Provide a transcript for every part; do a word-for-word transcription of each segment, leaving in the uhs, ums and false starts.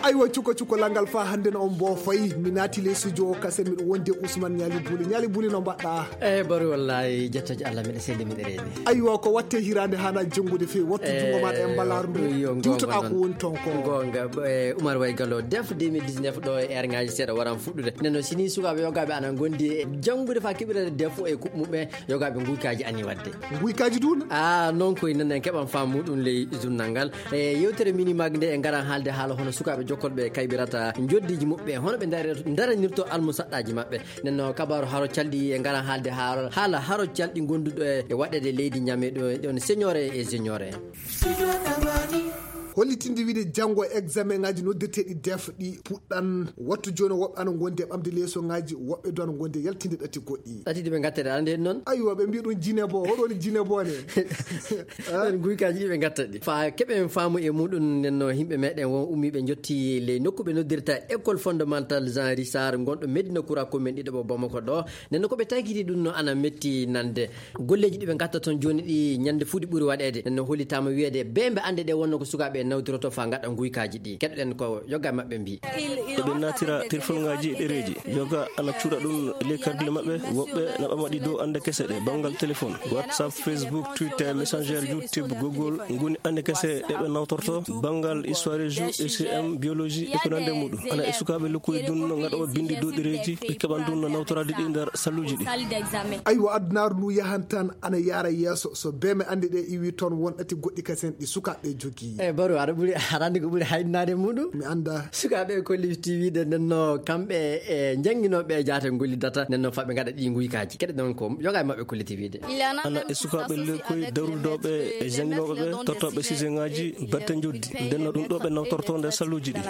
Aywa, cuko cuko langal fa hannde no on mbo fayi. Mi naati ley studio o kasen, miɗo wondi e Ousmane Ñaali Buli. Ñaali Buli, no mbaɗɗa? Eh, bari wallahi, jettoje Allah, miɗo selli, miɗo reeni. Aywa, ko watte hiraande hana jenngude feewi. Wattu junngo maɗa e mbalaaru ndu. Yo, diwtoɗa ko woni toon ko. Goonga, eh, Umar Way Gallo, def deux mille dix-neuf ɗo e heure ngaji seeɗa waran fuɗɗude. Nden noon, sini sukaaɓe yogaaɓe ana ngondi e janngude fa keɓirade def e kuɓɓe muɓɓe, yogaaɓe nguykaaji ani waɗde. Nguykaaji dun? Ah, noon koye nen en keɓan faamu ɗum ley journal ngal. E yewtere mini mag nde en ngaran haalde haala hono sukaaɓe jokkolɓe kayɓirata njoddiji muɓɓe, hono ɓe ndare-, ndaranirto almusaɗɗaaji maɓɓe. Nden no kabaaru haro calɗi e ngaran haalde haala, haala haro calɗi gonduɗo e, e waɗeede leydi Ñame ɗo, ɗon senior e, e junior en. Hollitinde wiide janngo examen ngaji noddirteeɗi def ɗi puɗɗan. Wattu jooni woɓɓe ana ngondi e ɓamde leeso ngaji, woɓɓe du ana ngondi e yaltinde ɗati goɗɗi. Ɗati ɗi ɓe ngattata, ande noon? Aywa, ɓe mbiya ɗum jine bo, hoɗo woni jine bo ne? Ɗon guykaaji ɗi ɓe ngattata ɗi. Fa keɓen faamu e muɗum, nden no yimɓe meɗen won ummiiɓe njotti ley nokku ɓe noddirta École Fondamentale Jean Richard, ngonɗo Médina Kura, commune ɗiɗo ɓo Bamako ɗo. Nden no ko ɓe taykiti ɗum no ana metti nande. Golleeji ɗi ɓe ngatta toon jooni ɗi ñande fuu ɗi ɓuri waɗeede. Nden no hollitaama wiyeede bee mbe annde ɗe wonno ko sukaaɓe nawdiroto fa ngaɗa guykaaji ɗi. Keɗoɗen ko yoga maɓɓe mbi. Eɓe naatira telefonŋaaji e ɗereeji. Yoga ana cuura ɗum ley kargile maɓɓe. Woɓɓe na ɓama ɗi dow annde kese ɗe, banngal telefon, WhatsApp, Facebook, Twitter, Messenger, YouTube, Google, ngoni annde kese ɗe ɓe nawtorto. Banngal histoire, géo, E C M, biologie, e ko nande muɗum. Ana e sukaaɓe lokkuji ɗum no ngaɗooɓe binndi dow ɗereeji, ɓe keɓan ɗum no nawtoraade ɗi nder salluji ɗi. Aywa, adunaaru ndu yahan tan ana yaara yeeso. So bee mbe annde ɗe iwi toon, won ɗati goɗɗi kasen ɗi sukaaɓe jogii. E baro, aɗa ɓuri, aɗa anndi ko ɓuri hayɗinaade muɗum? Mi annda. Sukaaɓe e kolli T V ɗe, nden no kamɓe e jannginooɓe e jaate ngolli data, nden no faɓe ngaɗa ɗi nguykaaji. Keɗe ɗon ko yoga e maɓɓe kolli T V ɗe. Ana e sukaaɓe lekkoy darudooɓe e jannginooɓe ɓe, tottooɓe siseŋaaji batte njoddi. Nden no ɗum ɗo ɓe nawtorto nder salluji ɗi.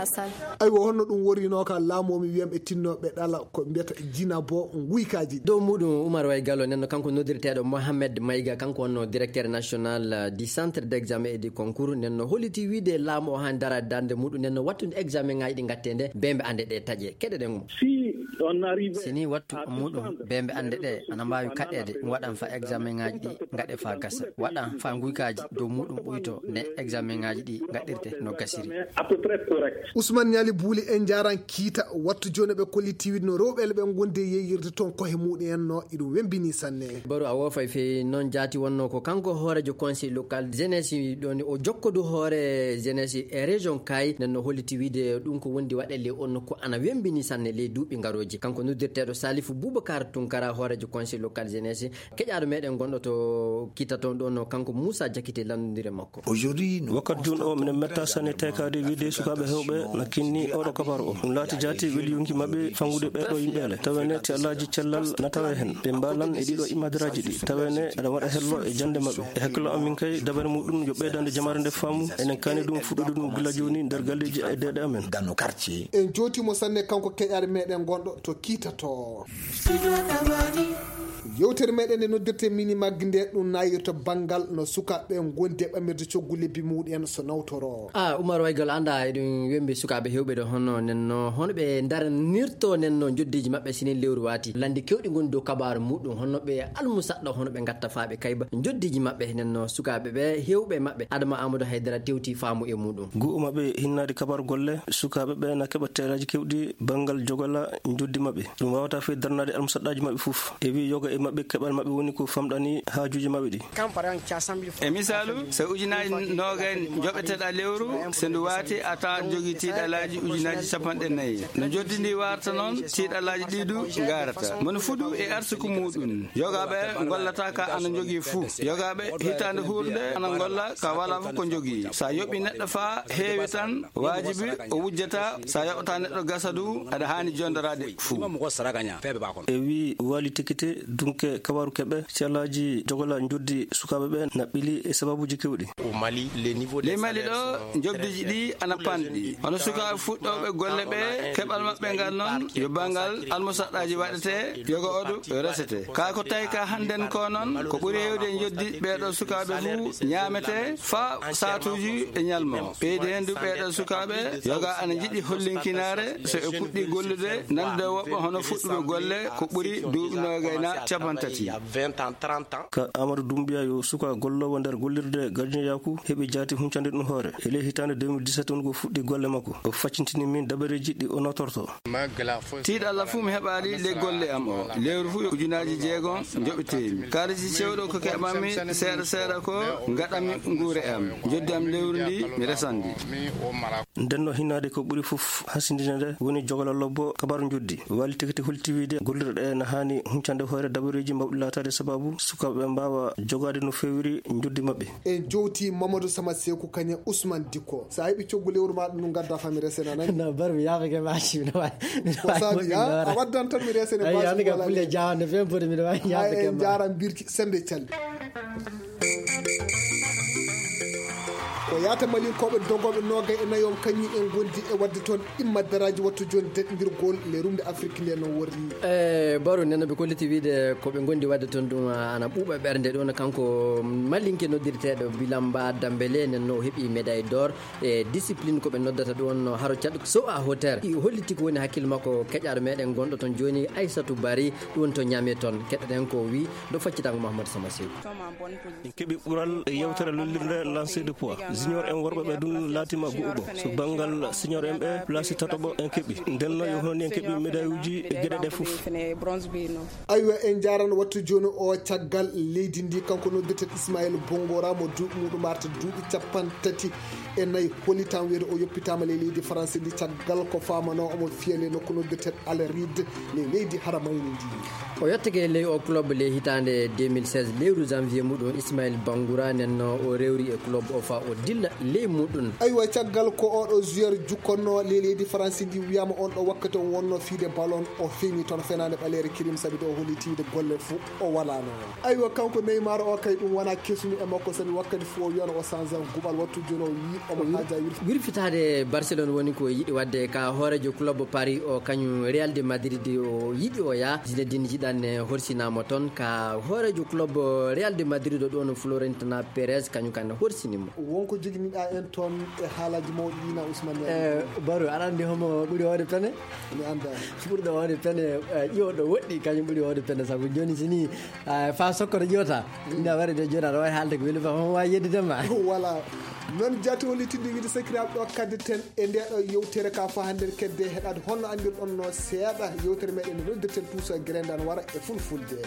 Aywa, honno ɗum worrinoo ka laamu o, mi wiyam e tinnooɓe ɗala ko mbiyata jina bo nguykaaji. Dow muɗum Umar Way Gallo, nden no kanko noddirteeɗo Mohamed Mayga, kanko wonno directeur national, euh, du centre d'examen et du concours, nden no holliti wiide laamu o han dara darnde muɗum, nden no wattude examen ŋaaji ɗi ngattee nde, bee mbe annde ɗe taƴe. Keɗoɗen mo. Si on arrive Si ni wattu muɗum bee mbe annde ɗe ana mbaawi kaɗeede, waɗan fa examen ŋaaji ɗi ngaɗe fa gasa. Waɗan fa nguykaaji dow muɗum ɓuyto ne examen ŋaaji ɗi ngaɗirte no gasiri. À peu près correct. Ousmane Ñaali Buuli, en njaaran kiita. Wattu jooni ɓe kolli tiwit no rewɓe ɓe ngondi e yeeyirde toon kohe muɗum en no iɗum wembini sanne. Baro a woofay feewi. Noon jaati wonno ko kanko hooreejo conseil local jeunesse ɗon o jokkodu hoore jeunesse e région Kay, nden no holliti wiide ɗum ko wondi waɗe ley on nokku ana wembini sanne ley duuɓi ngarooji. Kanko noddirteeɗo Salifu Boubacar Tunkara, hooreejo conseil local jeunesse, keƴaaɗo meɗen gonɗo to Kita toon ɗon, no kanko Moussa Diakité lanndondire makko. Wakkati jooni o, minen metta sanne taykaade wiide sukaaɓe heewɓe na kinni oɗo kabaru o. Ɗum laati jaati weli yonki maɓɓe fangude ɓeɗo yimɓe ale. Tawene ti alaaji cellal na tawe hen. Ɓe mbalan e ɗiɗo imadiraaji ɗi. Tawene aɗa waɗa hello e jande maɓɓe. E hakkillo amin kay, dabare muɗum yo ɓeydande jamaare nde faamu. Enen kani ɗum fuɗɗude ɗum gila jooni nder galleeji e deeɗe amen. En jootimo sanne kanko keƴaare meɗen gonɗo to Kita to. Yewtere meɗen nde noddirte mini maggi nde ɗum nayirta banngal no sukaaɓe ngondi e ɓamirde coggu lebbi muɗum en so nawtoro. Ah, Umar Waygal, anda eɗum wembi sukaaɓe hewɓe ɗo hono nenno, hono ɓe daranirto nenno njoddiji maɓɓe sinin lewru wati. Landi kewɗi ngoni dow kabaru muɗum, hono ɓe almusaɗɗo, hono ɓe ngatta faaɓe kayba njoddiji maɓɓe nenno sukaaɓe ɓe hewɓe maɓɓe. Adama Amadou Haydara tewti faamu e muɗum. Gu'u maɓɓe hinnaade kabaru golle sukaaɓe ɓe na keɓa teelaaji kewɗi banngal jogola njoddi maɓɓe. Ɗum waawata fey darnaade almusaɗɗaaji maɓɓe fof. E wi yoga e maɓɓe keɓal maɓɓe woni ko famɗani haajuuji maɓɓe ɗi. E misaalu, so ujunaaji noogay joɓeteɗa lewru, so ndu waati a tawan jogii tiiɗalaaji ujunaaji capanɗe nayi. No njoddi ndi warta noon, tiiɗalaaji ɗi du ngarata. Mono fuɗu e arsuku muɗum. Yogaaɓe ngollata ka ana njogii fuu. Yogaaɓe hitaande huurnde ana ngolla ka walaa fof ko njogii. Sa yoɓi neɗɗo faa heewi tan, waajibi o wujjata. Sa yoɓata neɗɗo gasa du, aɗa haani jondoraade fuu. E wi Waali Tekite, dunke kabaru keɓe, si alaaji jogola njoddi sukaaɓe ɓe na ɓili e sababuuji kewɗi. Ley Mali ɗo, njobdiji ɗi ana panɗi. Hono sukaaɓe fuɗɗooɓe golle ɓe, keɓal maɓɓe ngal noon, yo banngal almusaɗɗaaji waɗete, yoga oɗo yo resete. Kaa ko tawi ka hannden ko noon, ko ɓuri heewde e njoddi ɓeeɗo sukaaɓe fuu ñaamete faa saatuuji e ñalmo. Ɓeydi heen du ɓeeɗo sukaaɓe, yoga ana njiɗi hollinkinaare, so ɓe puɗɗi gollude, nande woɓɓe hono fuɗɗuɓe golle, ko ɓuri duuɓi noogay na Capanɗe tati. Ka Amadou Doumbouya yo suka golloowo nder gollirde gardinyaaku heɓi jaati huncande ɗum hoore. E ley hitaande deux mille dix-sept on ko fuɗɗi golle makko. O faccintini min dabareeji ɗi o notorto. Tiiɗalla fuu mi heɓaali ley golle am o. Lewru fuu ujunaaji jeegom njoɓetee mi. Kaalisi cewɗo ko keɓanmi seeɗa seeɗa ko ngaɗanmi nguure am. Njoddi am lewru ndi mi resan ndi. Nden no hinnaade ko ɓuri fof hasindinande woni jogala lobbo kabaru njoddi. Wali tekiti holti wiide gollirɗe ene haani huncande hoore dabareeji mbawɗi laataade sababu sukaaɓe mbaawa jogaade no feewiri njoddi maɓɓe. En jowti Mamadou Sama Seku kañe Ousmane Dikko. So a heɓi coggu lewru ma ɗum ngadda famire sena nani. No bar mi yaafake ma ci, miɗo waawi, miɗo Ko waawi saabi, moƴƴinde ha? Hoore. A waddan tan mi resene Ayi, basi hande ka wala pulle le. Jawande fen foti miɗo waawi Ay, yaafake en ma. Jaaram birki sembe calli. Ko yaata malinkooɓe dogooɓe noogay e nayo on kañum en ngondi e waɗde toon imma daraaji wattu jooni daɗindirgol le rumde Afrik nde no worri. E baro nena ɓe kolliti wiide ko ɓe ngondi waɗde toon ɗum ana ɓuuɓa ɓernde ɗum kanko malinke noddirteeɗo Bilamba Dambele nen no o heɓi médaille d'or e discipline ko ɓe noddata ɗum no haro caɗ so a hoter. I holliti ko woni hakkille makko keƴaɗo meɗen gonɗo toon jooni Aissatou Bari ɗum to Niamey toon keɗɗen ko wi ɗo faccitango Mahamadou Sama Seku. En keɓi ɓural e yewtere lollirde lancer de poids. Junior en worɓe ɓe ɗum laatima go'uɓo. So banngal senior en ɓe, place tataɓo en keɓi. Nden no yo hono en keɓi médaille uji e geɗe ɗe fof. Aywa, en njaarano wattu jooni o caggal leydi ndi, kanko noddirten Ismaël Bongora mo duuɓi muɗum arta duuɓi capanɗe tati e nayi. Holi tan wiyde o yoppitaama ley leydi France ndi caggal ko faamano omo fiya ley nokku noddirten Al Reed ley leydi Haramayni ndi. O yottake ley o club ley hitaande deux mille seize, lewru janvier muɗum, Ismaël Bangoura nen no o rewri e club o fa o dilla ley muɗum. Aywa, caggal ko oɗo joueur jukkonno ley leydi France ndi wiyama on ɗo wakkati o wonno fiide ballon, o feñi toon fenaande ɓaleere kirim sabi to o hollitiide golle fo o walano. Aywa, kanko Neymar o kay ɗum wona kesumi e makko sabi wakkati fo o wiyano o sanza guɓal wattu jooni o wi omo haaja wir. Wirfitaade Barcelone woni ko yiɗi waɗde ka hoorejo club Paris o kañum Real de Madrid o yiɗi o yaa. Zinedine Zidane horsinaama toon ka hoorejo club Real de Madrid o ɗon Florentino Perez kañum kan horsinimo. Wonko joginiɗa en toon e haalaji mawɗi ɗi na Ousmane Yari? Eh, Baro, aɗa anndi homo ɓuri hoode pene? Mi annda. Ɓurɗo hoode pene, eh, ƴiwoɗo woɗɗi, kañum ɓuri hoode pene, sabu jooni si ni, eh, fa sokkoto ƴiwata. Ina waɗi de jooni aɗa waawi haalde ko weli fa, homo waawi yeddude ma. Voilà. Noon jaati hollitinde wiide sakiraaɓe ɗo kadde ten e nde ɗo yewtere ka fa hannde kedde heɗaade honno anndirɗon no seeɗa yewtere meɗen no noddirten Tuusa Grendan wara e fulfulde.